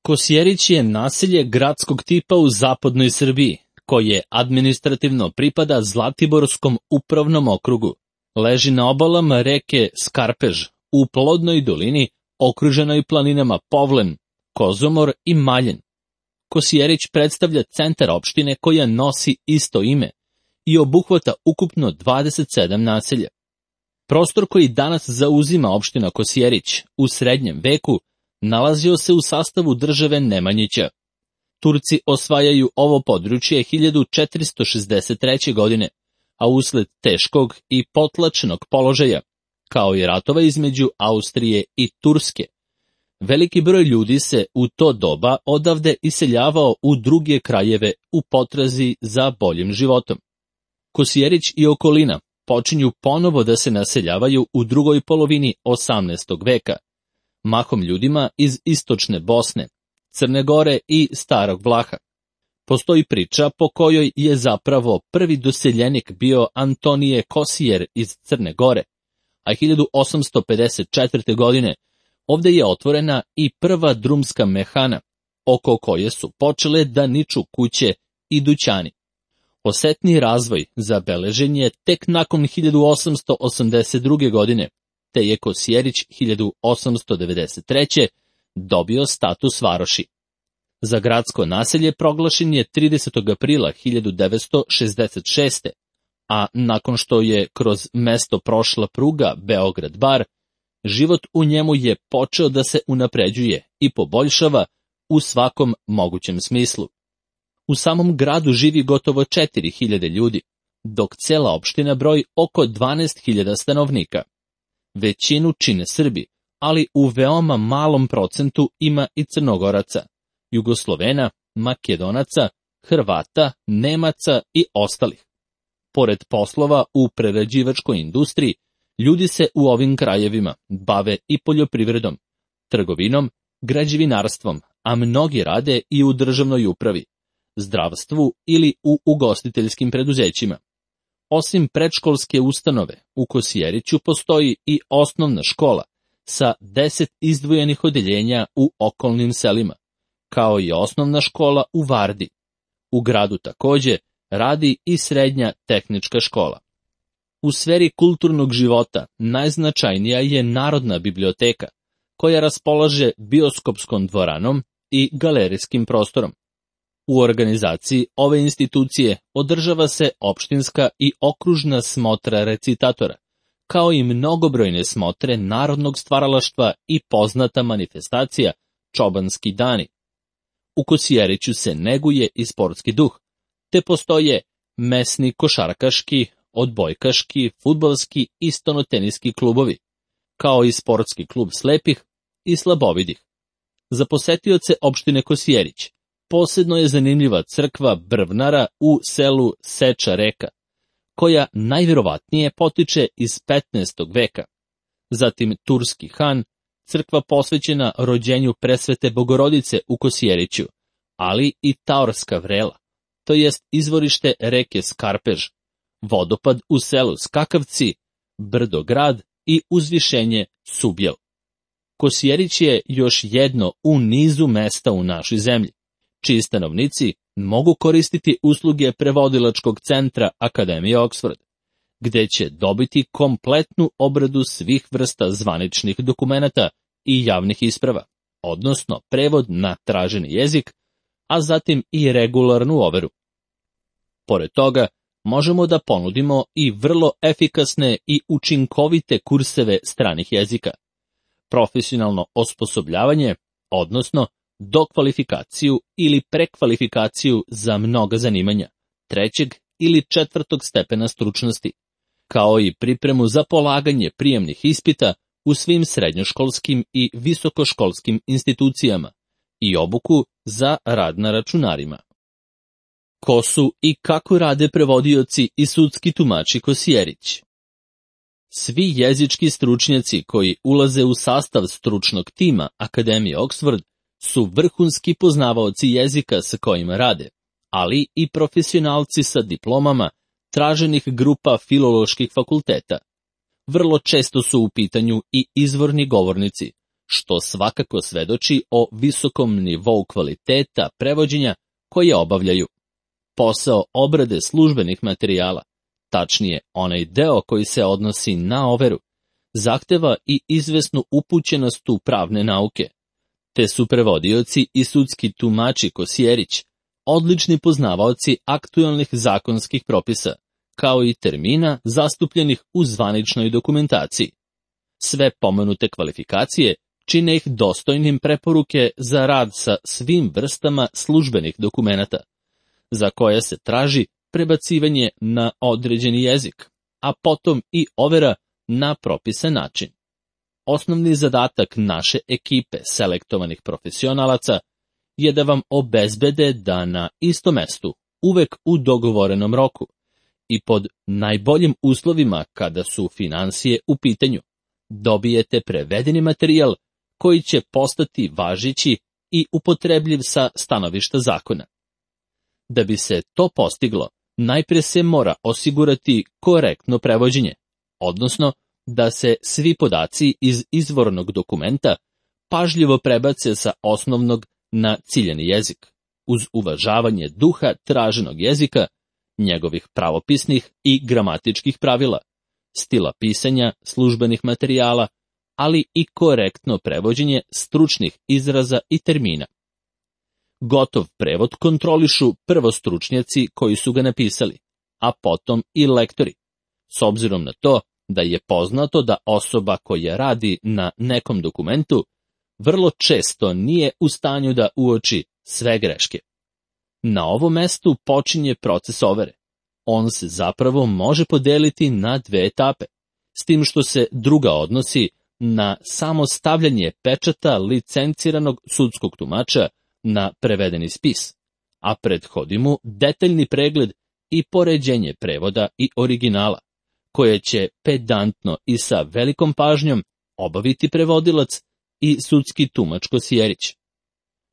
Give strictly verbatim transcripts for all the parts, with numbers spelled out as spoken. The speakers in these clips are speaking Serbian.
Kosjerić je naselje gradskog tipa u zapadnoj Srbiji, koje administrativno pripada Zlatiborskom upravnom okrugu. Leži na obalama reke Skarpež, u plodnoj dolini, okruženoj planinama Povlen, Kozomor i Maljen. Kosjerić predstavlja centar opštine koja nosi isto ime i obuhvata ukupno dvadeset sedam naselja. Prostor koji danas zauzima opština Kosjerić u srednjem veku nalazio se u sastavu države Nemanjića. Turci osvajaju ovo područje hiljadu četiristo šezdeset treće. godine, a usled teškog i potlačenog položaja, kao i ratova između Austrije i Turske, veliki broj ljudi se u to doba odavde iseljavao u druge krajeve u potrazi za boljim životom. Kosjerić i okolina počinju ponovo da se naseljavaju u drugoj polovini osamnaestog veka, mahom ljudima iz istočne Bosne, Crne Gore i Starog Vlaha. Postoji priča po kojoj je zapravo prvi doseljenik bio Antonije Kosijer iz Crne Gore, a hiljadu osamsto pedeset četvrte. godine ovde je otvorena i prva drumska mehana, oko koje su počele da niču kuće i dućani. Osetni razvoj zabeležen je tek nakon hiljadu osamsto osamdeset druge. godine, te je Kosjerić hiljadu osamsto devedeset treće. dobio status varoši. Za gradsko naselje proglašen je tridesetog aprila hiljadu devetsto šezdeset šeste. a nakon što je kroz mesto prošla pruga Beograd-Bar, život u njemu je počeo da se unapređuje i poboljšava u svakom mogućem smislu. U samom gradu živi gotovo četiri hiljade ljudi, dok cela opština broji oko dvanaest hiljada stanovnika. Većinu čine Srbi, ali u veoma malom procentu ima i Crnogoraca, Jugoslovena, Makedonaca, Hrvata, Nemaca i ostalih. Pored poslova u prerađivačkoj industriji, ljudi se u ovim krajevima bave i poljoprivredom, trgovinom, građevinarstvom, a mnogi rade i u državnoj upravi, zdravstvu ili u ugostiteljskim preduzećima. Osim predškolske ustanove, u Kosjeriću postoji i osnovna škola sa deset izdvojenih odeljenja u okolnim selima, kao i osnovna škola u Vardi. U gradu takođe radi i srednja tehnička škola. U sferi kulturnog života najznačajnija je Narodna biblioteka, koja raspolaže bioskopskom dvoranom i galerijskim prostorom. U organizaciji ove institucije održava se opštinska i okružna smotra recitatora, kao i mnogobrojne smotre narodnog stvaralaštva i poznata manifestacija Čobanski dani. U Kosjeriću se neguje i sportski duh, te postoje mesni košarkaški, odbojkaški, fudbalski i stonoteniski klubovi, kao i sportski klub slepih i slabovidih. Za posetioce opštine Kosjerić posebno je zanimljiva crkva Brvnara u selu Seča Reka, koja najvjerovatnije potiče iz petnaestog veka. Zatim Turski Han, crkva posvećena rođenju presvete Bogorodice u Kosjeriću, ali i Taorska vrela, to jest izvorište reke Skarpež, vodopad u selu Skakavci, Brdograd i uzvišenje Subjel. Kosjerić je još jedno u nizu mesta u našoj zemlji, čiji stanovnici mogu koristiti usluge prevodilačkog centra Akademije Oxford, gde će dobiti kompletnu obradu svih vrsta zvaničnih dokumenata i javnih isprava, odnosno prevod na traženi jezik, a zatim i regularnu overu. Pored toga, možemo da ponudimo i vrlo efikasne i učinkovite kurseve stranih jezika, profesionalno osposobljavanje, odnosno dokvalifikaciju ili prekvalifikaciju za mnoga zanimanja, trećeg ili četvrtog stepena stručnosti, kao i pripremu za polaganje prijemnih ispita u svim srednjoškolskim i visokoškolskim institucijama i obuku za rad na računarima. Ko su i kako rade prevodioci i sudski tumači Kosjerić? Svi jezički stručnjaci koji ulaze u sastav stručnog tima Akademije Oxford su vrhunski poznavaoci jezika sa kojima rade, ali i profesionalci sa diplomama traženih grupa filoloških fakulteta. Vrlo često su u pitanju i izvorni govornici, što svakako svedoči o visokom nivou kvaliteta prevođenja koje obavljaju. Posao obrade službenih materijala, tačnije onaj deo koji se odnosi na overu, zahteva i izvesnu upućenost u pravne nauke, te su prevodioci i sudski tumači Kosjerić odlični poznavaoci aktualnih zakonskih propisa, kao i termina zastupljenih u zvaničnoj dokumentaciji. Sve pomenute kvalifikacije čine ih dostojnim preporuke za rad sa svim vrstama službenih dokumenata, za koje se traži prebacivanje na određeni jezik, a potom i overa na propisan način. Osnovni zadatak naše ekipe selektovanih profesionalaca je da vam obezbede da na istom mestu, uvek u dogovorenom roku i pod najboljim uslovima kada su finansije u pitanju, dobijete prevedeni materijal koji će postati važeći i upotrebljiv sa stanovišta zakona. Da bi se to postiglo, najprije se mora osigurati korektno prevođenje, odnosno da se svi podaci iz izvornog dokumenta pažljivo prebace sa osnovnog na ciljani jezik, uz uvažavanje duha traženog jezika, njegovih pravopisnih i gramatičkih pravila, stila pisanja službenih materijala, ali i korektno prevođenje stručnih izraza i termina. Gotov prevod kontrolišu prvo stručnjaci koji su ga napisali, a potom i lektori, s obzirom na to da je poznato da osoba koja radi na nekom dokumentu vrlo često nije u stanju da uoči sve greške. Na ovom mestu počinje proces overe. On se zapravo može podeliti na dve etape, s tim što se druga odnosi na samo stavljanje pečata licenciranog sudskog tumača na prevedeni spis, a prethodi mu detaljni pregled i poređenje prevoda i originala, koje će pedantno i sa velikom pažnjom obaviti prevodilac i sudski tumač Kosjerić.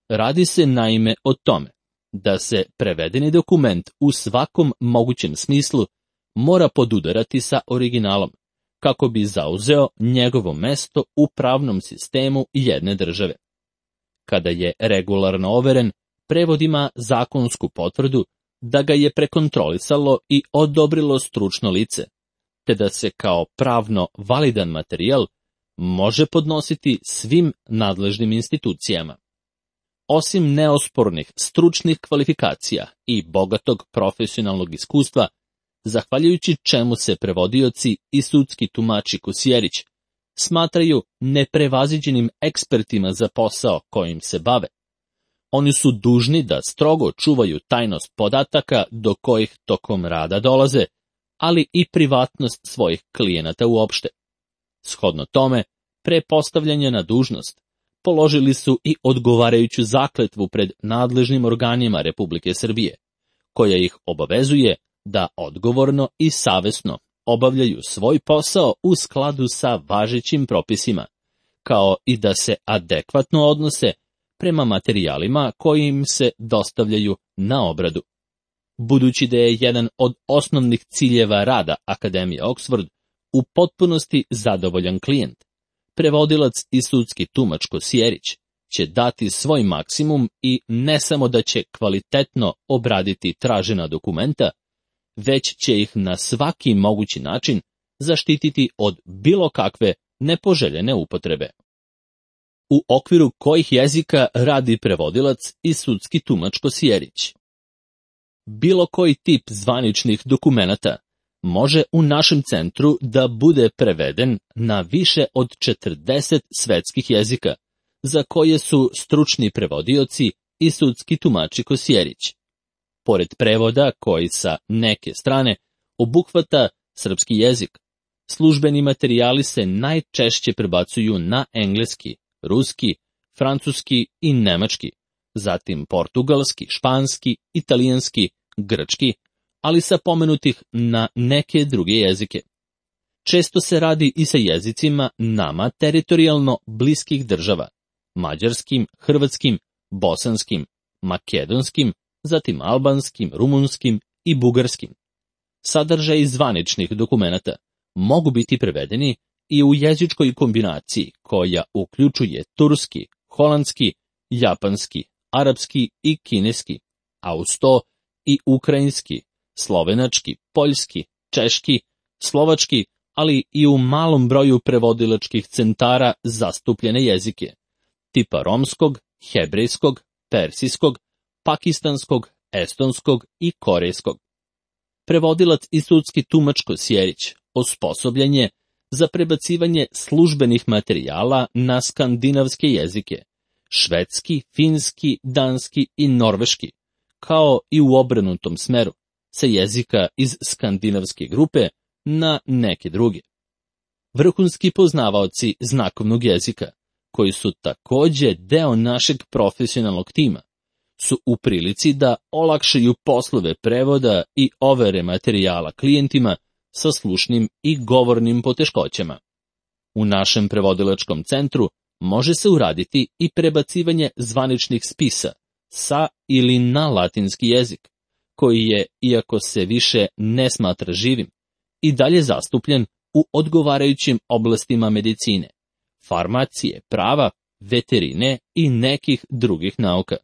Radi se naime o tome da se prevedeni dokument u svakom mogućem smislu mora podudarati sa originalom, kako bi zauzeo njegovo mesto u pravnom sistemu jedne države. Kada je regularno overen, prevod ima zakonsku potvrdu da ga je prekontrolisalo i odobrilo stručno lice, te da se kao pravno validan materijal može podnositi svim nadležnim institucijama. Osim neospornih stručnih kvalifikacija i bogatog profesionalnog iskustva, zahvaljujući čemu se prevodioci i sudski tumači Kosjerić smatraju neprevaziđenim ekspertima za posao kojim se bave. Oni su dužni da strogo čuvaju tajnost podataka do kojih tokom rada dolaze, ali i privatnost svojih klijenata uopšte. Shodno tome, pre postavljanja na dužnost, položili su i odgovarajuću zakletvu pred nadležnim organima Republike Srbije, koja ih obavezuje da odgovorno i savesno obavljaju svoj posao u skladu sa važećim propisima, kao i da se adekvatno odnose prema materijalima koji im se dostavljaju na obradu. Budući da je jedan od osnovnih ciljeva rada Akademije Oxford u potpunosti zadovoljan klijent, prevodilac i sudski tumač Kosjerić će dati svoj maksimum i ne samo da će kvalitetno obraditi tražena dokumenta, već će ih na svaki mogući način zaštititi od bilo kakve nepoželjene upotrebe. U okviru kojih jezika radi prevodilac i sudski tumač Kosjerić? Bilo koji tip zvaničnih dokumenata može u našem centru da bude preveden na više od četrdeset svetskih jezika, za koje su stručni prevodioci i sudski tumači Kosjerić. Pored prevoda koji sa neke strane obuhvata srpski jezik, službeni materijali se najčešće prebacuju na engleski, ruski, francuski i nemački, zatim portugalski, španski, italijanski, grčki, ali sa pomenutih na neke druge jezike. Često se radi i sa jezicima nama teritorijalno bliskih država, mađarskim, hrvatskim, bosanskim, makedonskim, zatim albanskim, rumunskim i bugarskim. Sadržaji zvaničnih dokumenata mogu biti prevedeni i u jezičkoj kombinaciji koja uključuje turski, holandski, japanski, arapski i kineski, a uz to i ukrajinski, slovenački, poljski, češki, slovački, ali i u malom broju prevodilačkih centara zastupljene jezike, tipa romskog, hebrejskog, persijskog, pakistanskog, estonskog i korejskog. Prevodilac i sudski tumač Kosjerić osposobljen je za prebacivanje službenih materijala na skandinavske jezike, švedski, finski, danski i norveški, kao i u obrnutom smeru, sa jezika iz skandinavske grupe na neke druge. Vrhunski poznavaoci znakovnog jezika, koji su takođe deo našeg profesionalnog tima, su u prilici da olakšaju poslove prevoda i overe materijala klijentima sa slušnim i govornim poteškoćama. U našem prevodilačkom centru može se uraditi i prebacivanje zvaničnih spisa sa ili na latinski jezik, koji je, iako se više ne smatra živim, i dalje zastupljen u odgovarajućim oblastima medicine, farmacije, prava, veterine i nekih drugih nauka.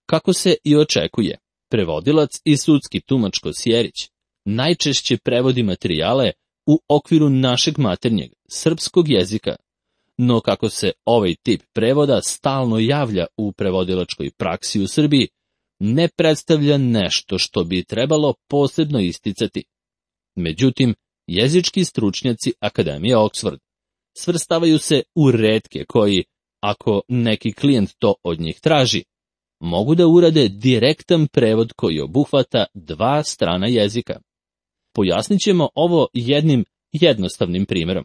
Kako se i očekuje, prevodilac i sudski tumač Kosjerić najčešće prevodi materijale u okviru našeg maternjeg, srpskog jezika, no kako se ovaj tip prevoda stalno javlja u prevodilačkoj praksi u Srbiji, ne predstavlja nešto što bi trebalo posebno isticati. Međutim, jezički stručnjaci Akademije Oxford svrstavaju se u retke koji, ako neki klijent to od njih traži, mogu da urade direktan prevod koji obuhvata dva strana jezika. Pojasnit ćemo ovo jednim jednostavnim primjerom.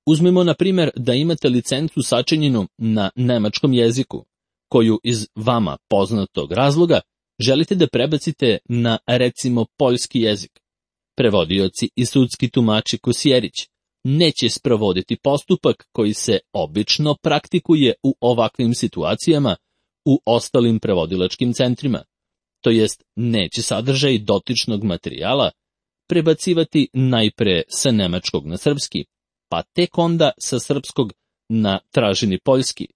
Uzmimo na primjer da imate licencu sačinjenu na nemačkom jeziku, koju iz vama poznatog razloga želite da prebacite na, recimo, poljski jezik. Prevodioci i sudski tumači Kosjerić neće sprovoditi postupak koji se obično praktikuje u ovakvim situacijama u ostalim prevodilačkim centrima, to jest neće sadržaj dotičnog materijala prebacivati najpre sa nemačkog na srpski, pa tek onda sa srpskog na traženi poljski,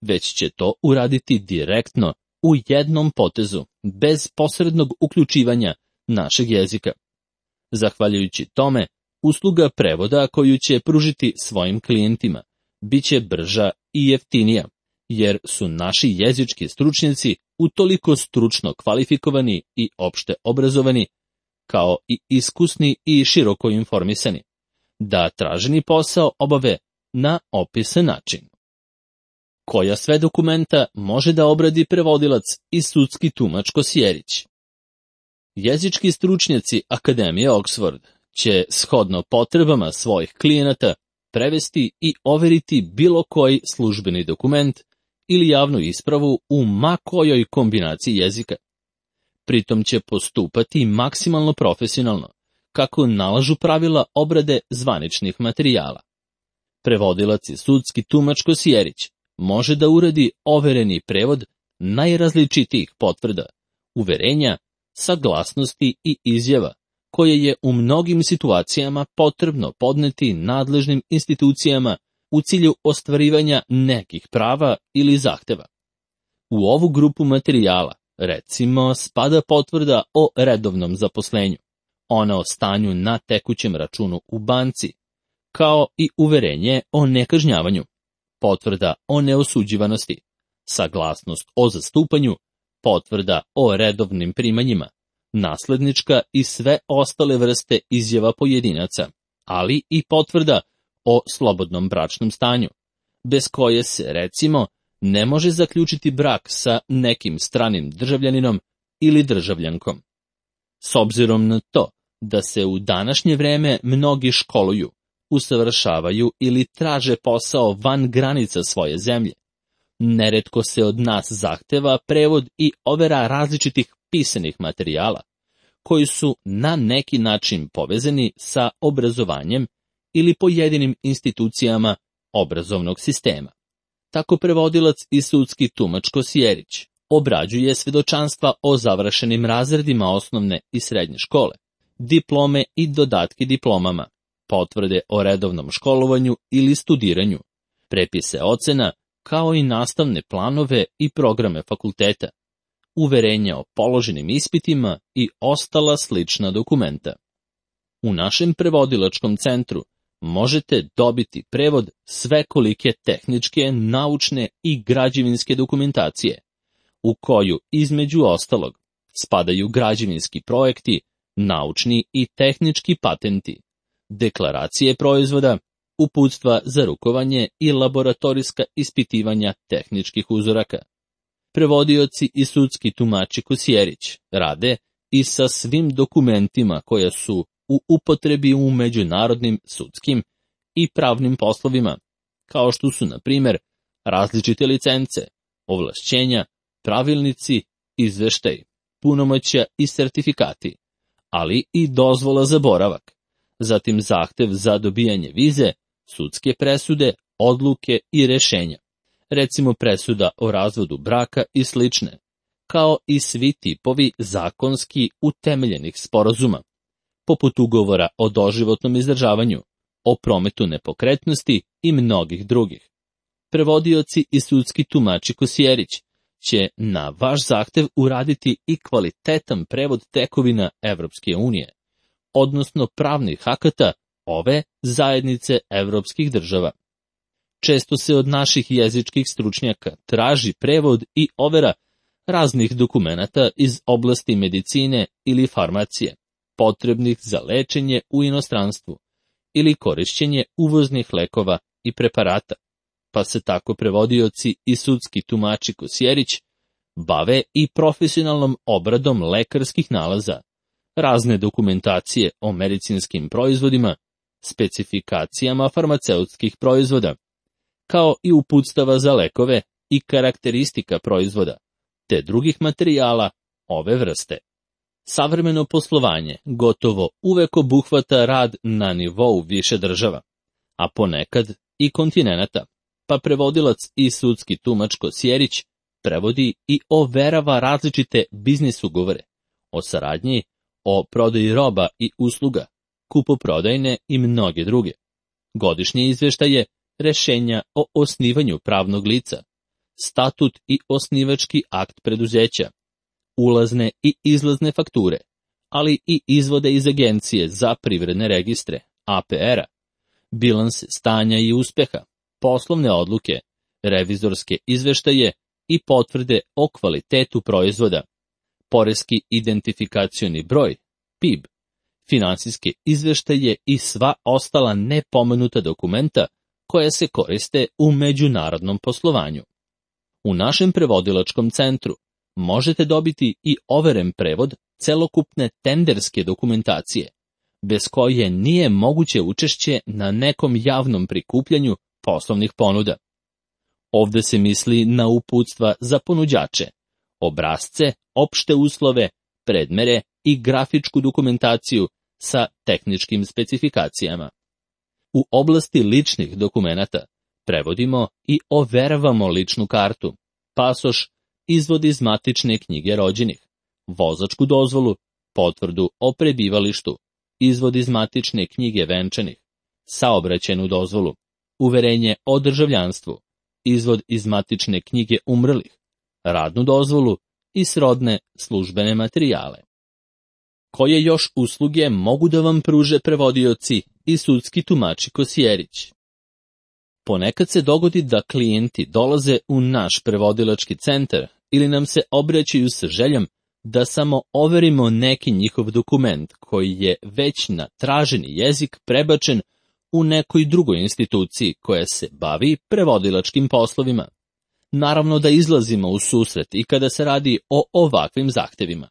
već će to uraditi direktno u jednom potezu, bez posrednog uključivanja našeg jezika. Zahvaljujući tome, usluga prevoda koju će pružiti svojim klijentima biće brža i jeftinija, jer su naši jezički stručnjaci utoliko stručno kvalifikovani i opšte obrazovani, kao i iskusni i široko informisani, da traženi posao obave na opisan način. Koja sve dokumenta može da obradi prevodilac i sudski tumač Kosjerić? Jezički stručnjaci Akademije Oxford će, shodno potrebama svojih klijenata, prevesti i overiti bilo koji službeni dokument ili javnu ispravu u ma kojoj kombinaciji jezika. Pritom će postupati maksimalno profesionalno, kako nalažu pravila obrade zvaničnih materijala. Prevodilac i sudski tumač Kosjerić može da uradi overeni prevod najrazličitijih potvrda, uverenja, saglasnosti i izjava, koje je u mnogim situacijama potrebno podneti nadležnim institucijama u cilju ostvarivanja nekih prava ili zahteva. U ovu grupu materijala, recimo, spada potvrda o redovnom zaposlenju, ona o stanju na tekućem računu u banci, kao i uverenje o nekažnjavanju, potvrda o neosuđivanosti, saglasnost o zastupanju, potvrda o redovnim primanjima, naslednička i sve ostale vrste izjava pojedinaca, ali i potvrda o slobodnom bračnom stanju, bez koje se, recimo, ne može zaključiti brak sa nekim stranim državljaninom ili državljankom. S obzirom na to da se u današnje vreme mnogi školuju, usavršavaju ili traže posao van granica svoje zemlje, neretko se od nas zahteva prevod i overa različitih pisanih materijala, koji su na neki način povezani sa obrazovanjem ili pojedinim institucijama obrazovnog sistema. Tako prevodilac i sudski tumač Kosjerić obrađuje svedočanstva o završenim razredima osnovne i srednje škole, diplome i dodatke diplomama, potvrde o redovnom školovanju ili studiranju, prepise ocena, kao i nastavne planove i programe fakulteta, uverenja o položenim ispitima i ostala slična dokumenta. U našem prevodilačkom centru možete dobiti prevod svekolike tehničke, naučne i građevinske dokumentacije, u koju, između ostalog, spadaju građevinski projekti, naučni i tehnički patenti, deklaracije proizvoda, uputstva za rukovanje i laboratorijska ispitivanja tehničkih uzoraka. Prevodioci i sudski tumači Kosjerić rade i sa svim dokumentima koja su u upotrebi u međunarodnim sudskim i pravnim poslovima, kao što su, na primjer, različite licence, ovlašćenja, pravilnici, izveštaj, punomoćja i sertifikati, ali i dozvola za boravak, zatim zahtev za dobijanje vize, sudske presude, odluke i rešenja, recimo presuda o razvodu braka i slične, kao i svi tipovi zakonski utemeljenih sporazuma, poput ugovora o doživotnom izdržavanju, o prometu nepokretnosti i mnogih drugih. Prevodioci i sudski tumači Kosjerić će na vaš zahtev uraditi i kvalitetan prevod tekovina Evropske unije, odnosno pravnih akata ove zajednice evropskih država. Često se od naših jezičkih stručnjaka traži prevod i overa raznih dokumenata iz oblasti medicine ili farmacije, potrebnih za lečenje u inostranstvu ili korišćenje uvoznih lekova i preparata, pa se tako prevodioci i sudski tumači Kosjerić bave i profesionalnom obradom lekarskih nalaza, razne dokumentacije o medicinskim proizvodima, specifikacijama farmaceutskih proizvoda, kao i uputstava za lekove i karakteristika proizvoda, te drugih materijala ove vrste. Savremeno poslovanje gotovo uvek obuhvata rad na nivou više država, a ponekad i kontinenata, pa prevodilac i sudski tumač Kosjerić prevodi i overava različite biznis ugovore o saradnji, o prodaji roba i usluga, kupoprodajne i mnoge druge, godišnje izveštaje, rešenja o osnivanju pravnog lica, statut i osnivački akt preduzeća, ulazne i izlazne fakture, ali i izvode iz Agencije za privredne registre, A P R-a, bilanse stanja i uspeha, poslovne odluke, revizorske izveštaje i potvrde o kvalitetu proizvoda, poreski identifikacioni broj, P I B, finansijske izveštaje i sva ostala nepomenuta dokumenta koja se koriste u međunarodnom poslovanju. U našem prevodilačkom centru možete dobiti i overen prevod celokupne tenderske dokumentacije, bez koje nije moguće učešće na nekom javnom prikupljanju poslovnih ponuda. Ovde se misli na uputstva za ponuđače, obrasce, opšte uslove, predmere i grafičku dokumentaciju sa tehničkim specifikacijama. U oblasti ličnih dokumenata prevodimo i overavamo ličnu kartu, pasoš, izvod iz matične knjige rođenih, vozačku dozvolu, potvrdu o prebivalištu, izvod iz matične knjige venčanih, saobraćajnu dozvolu, uverenje o državljanstvu, izvod iz matične knjige umrlih, radnu dozvolu i srodne službene materijale. Koje još usluge mogu da vam pruže prevodioci i sudski tumači Kosjerić? Ponekad se dogodi da klijenti dolaze u naš prevodilački centar ili nam se obraćaju sa željom da samo overimo neki njihov dokument koji je već na traženi jezik prebačen u nekoj drugoj instituciji koja se bavi prevodilačkim poslovima. Naravno da izlazimo u susret i kada se radi o ovakvim zahtevima.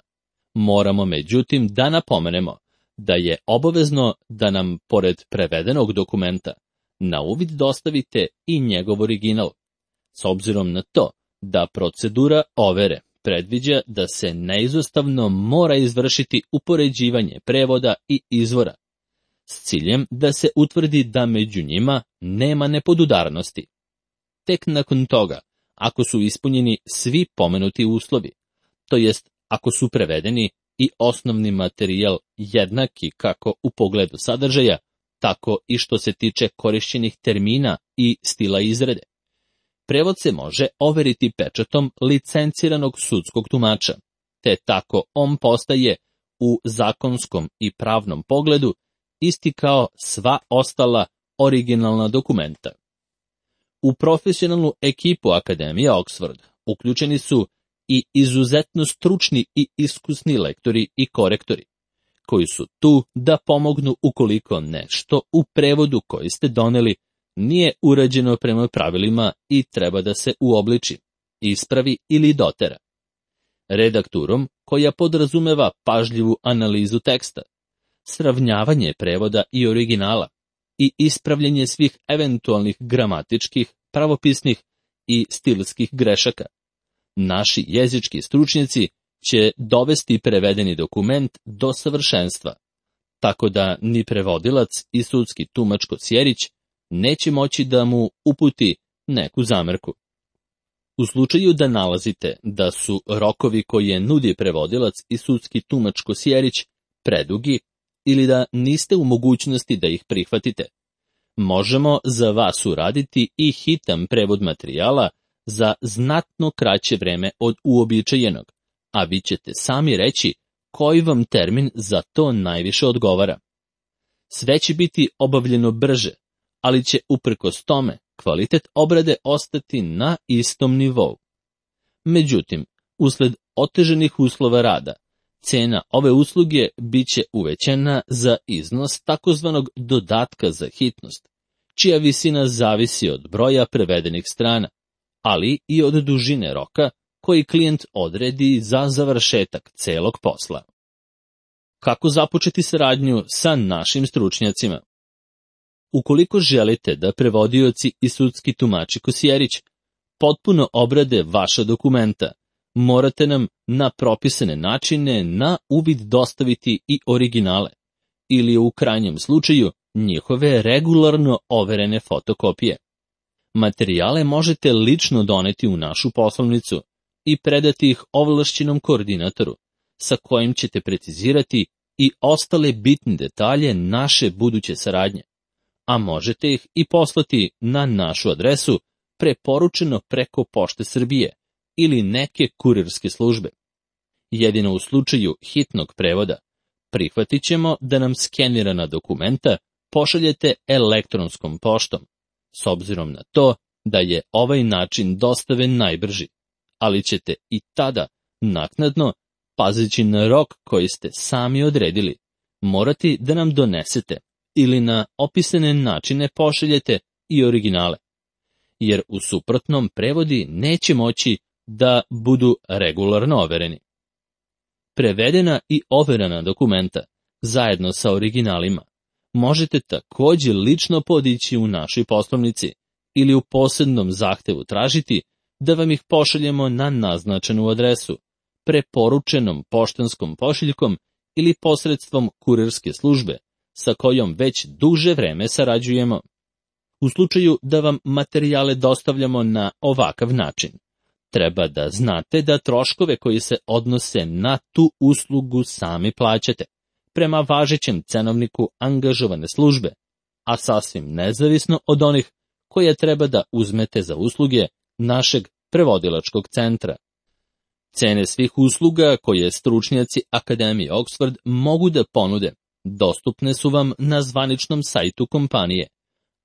Moramo međutim da napomenemo da je obavezno da nam, pored prevedenog dokumenta, na uvid dostavite i njegov original, s obzirom na to da procedura overe predviđa da se neizostavno mora izvršiti upoređivanje prevoda i izvora, s ciljem da se utvrdi da među njima nema nepodudarnosti. Tek nakon toga, ako su ispunjeni svi pomenuti uslovi, to jest ako su prevedeni i osnovni materijal jednaki kako u pogledu sadržaja, tako i što se tiče korišćenih termina i stila izrade. Prevod se može overiti pečatom licenciranog sudskog tumača, te tako on postaje u zakonskom i pravnom pogledu isti kao sva ostala originalna dokumenta. U profesionalnu ekipu Akademije Oxford uključeni su i izuzetno stručni i iskusni lektori i korektori, koji su tu da pomognu ukoliko nešto u prevodu koji ste doneli nije urađeno prema pravilima i treba da se uobliči, ispravi ili dotera. Redakturom koja podrazumeva pažljivu analizu teksta, sravnjavanje prevoda i originala i ispravljanje svih eventualnih gramatičkih, pravopisnih i stilskih grešaka. Naši jezički stručnjaci će dovesti prevedeni dokument do savršenstva, tako da ni prevodilac i sudski tumač Kosjerić neće moći da mu uputi neku zamerku. U slučaju da nalazite da su rokovi koje nudi prevodilac i sudski tumač Kosjerić predugi ili da niste u mogućnosti da ih prihvatite, možemo za vas uraditi i hitan prevod materijala za znatno kraće vreme od uobičajenog, a vi ćete sami reći koji vam termin za to najviše odgovara. Sve će biti obavljeno brže, ali će uprkos tome kvalitet obrade ostati na istom nivou. Međutim, usled oteženih uslova rada, cena ove usluge bit će uvećana za iznos takozvanog dodatka za hitnost, čija visina zavisi od broja prevedenih strana, ali i od dužine roka koji klijent odredi za završetak celog posla. Kako započeti saradnju sa našim stručnjacima? Ukoliko želite da prevodioci i sudski tumači Kosjerić potpuno obrade vaša dokumenta, morate nam na propisane načine na uvid dostaviti i originale, ili u krajnjem slučaju njihove regularno overene fotokopije. Materijale možete lično doneti u našu poslovnicu i predati ih ovlašćenom koordinatoru, sa kojim ćete precizirati i ostale bitne detalje naše buduće saradnje, a možete ih i poslati na našu adresu preporučeno preko Pošte Srbije ili neke kurirske službe. Jedino u slučaju hitnog prevoda prihvatit ćemo da nam skenirana dokumenta pošaljete elektronskom poštom, s obzirom na to da je ovaj način dostave najbrži, ali ćete i tada naknadno, pazeći na rok koji ste sami odredili, morati da nam donesete ili na opisane načine pošaljete i originale, jer u suprotnom prevodi neće moći da budu regularno overeni. Prevedena i overena dokumenta, zajedno sa originalima, možete također lično podići u našoj poslovnici ili u posebnom zahtevu tražiti da vam ih pošaljemo na naznačenu adresu, preporučenom poštanskom pošiljkom ili posredstvom kurirske službe, sa kojom već duže vreme sarađujemo. U slučaju da vam materijale dostavljamo na ovakav način, treba da znate da troškove koji se odnose na tu uslugu sami plaćate, prema važećem cenovniku angažovane službe, a sasvim nezavisno od onih koje treba da uzmete za usluge našeg prevodilačkog centra. Cene svih usluga koje stručnjaci Akademije Oxford mogu da ponude dostupne su vam na zvaničnom sajtu kompanije,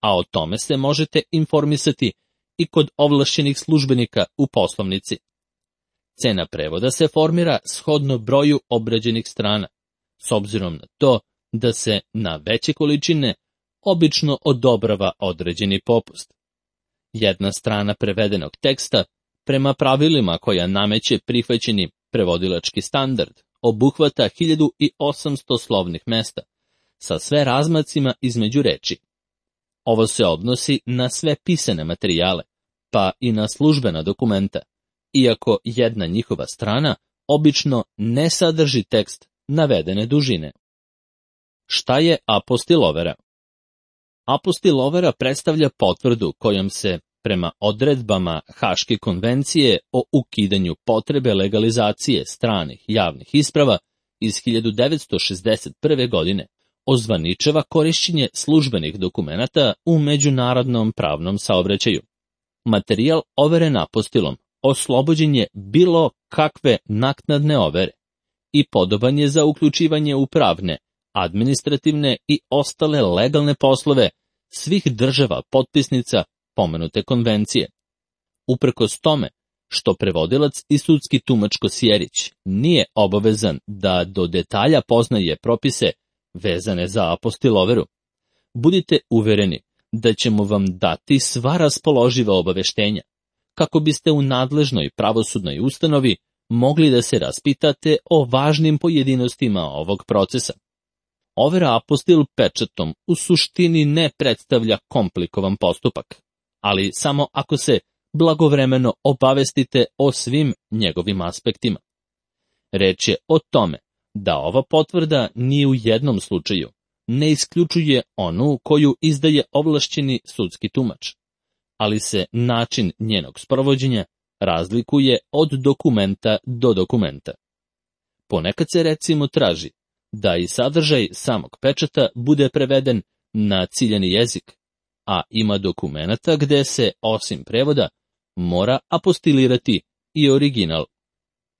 a o tome se možete informisati i kod ovlašćenih službenika u poslovnici. Cena prevoda se formira shodno broju obrađenih strana, s obzirom na to da se na veće količine obično odobrava određeni popust. Jedna strana prevedenog teksta, prema pravilima koja nameće prihvaćeni prevodilački standard, obuhvata hiljadu osamsto slovnih mesta, sa sve razmacima između reči. Ovo se odnosi na sve pisane materijale, pa i na službena dokumenta, iako jedna njihova strana obično ne sadrži tekst navedene dužine. Šta je apostilovera? Apostilovera predstavlja potvrdu kojom se, prema odredbama Haške konvencije o ukidanju potrebe legalizacije stranih javnih isprava iz hiljadu devetsto šezdeset prve. godine, ozvaničava korišćenje službenih dokumenata u međunarodnom pravnom saobraćaju. Materijal overen apostilom oslobođen je bilo kakve naknadne overe i podoban je za uključivanje u pravne, administrativne i ostale legalne poslove svih država potpisnica pomenute konvencije. Uprkos tome što prevodilac i sudski tumač Kosjerić nije obavezan da do detalja poznaje propise vezane za apostiloveru, budite uvereni da ćemo vam dati sva raspoloživa obaveštenja, kako biste u nadležnoj pravosudnoj ustanovi mogli da se raspitate o važnim pojedinostima ovog procesa. Overa apostil pečatom u suštini ne predstavlja komplikovan postupak, ali samo ako se blagovremeno obavestite o svim njegovim aspektima. Reč je o tome da ova potvrda ni u jednom slučaju ne isključuje onu koju izdaje ovlašćeni sudski tumač, ali se način njenog sprovođenja razlikuje od dokumenta do dokumenta. Ponekad se recimo traži da i sadržaj samog pečata bude preveden na ciljani jezik, a ima dokumenata gde se, osim prevoda, mora apostilirati i original.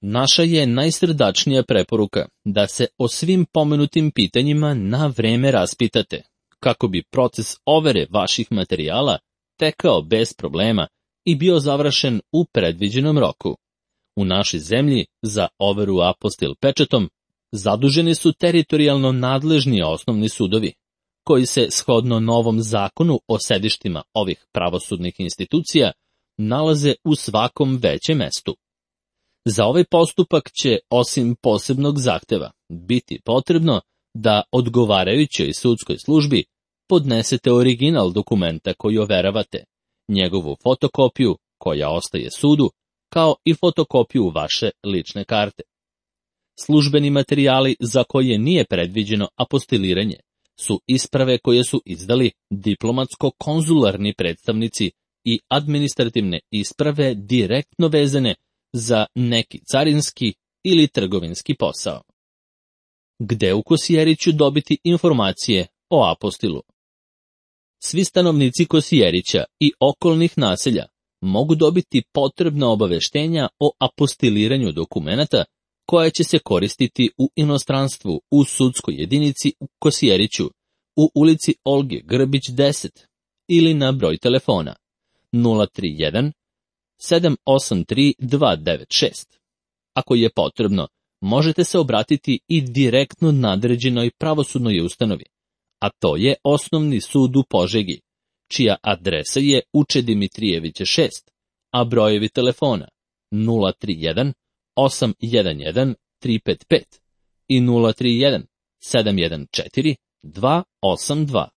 Naša je najsrdačnija preporuka da se o svim pomenutim pitanjima na vreme raspitate, kako bi proces overe vaših materijala tekao bez problema i bio završen u predviđenom roku. U našoj zemlji za overu apostil pečatom zaduženi su teritorijalno nadležni osnovni sudovi, koji se shodno novom zakonu o sedištima ovih pravosudnih institucija nalaze u svakom većem mestu. Za ovaj postupak će, osim posebnog zahteva, biti potrebno da odgovarajućoj sudskoj službi podnesete original dokumenta koji overavate, njegovu fotokopiju koja ostaje sudu, kao i fotokopiju vaše lične karte. Službeni materijali za koje nije predviđeno apostiliranje su isprave koje su izdali diplomatsko-konzularni predstavnici i administrativne isprave direktno vezane za neki carinski ili trgovinski posao. Gde u Kosjeriću dobiti informacije o apostilu? Svi stanovnici Kosjerića i okolnih naselja mogu dobiti potrebna obaveštenja o apostiliranju dokumenata koja će se koristiti u inostranstvu u sudskoj jedinici u Kosjeriću u ulici Olge Grbić deset ili na broj telefona nula tri jedan sedam osam tri dva devet šest. Ako je potrebno, možete se obratiti i direktno nadređenoj pravosudnoj ustanovi, a to je Osnovni sud u Požegi, čija adresa je Uče Dimitrijevića šest, a brojevi telefona nula tri jedan osam jedan jedan tri pet pet i nula tri jedan sedam jedan četiri dva osam dva.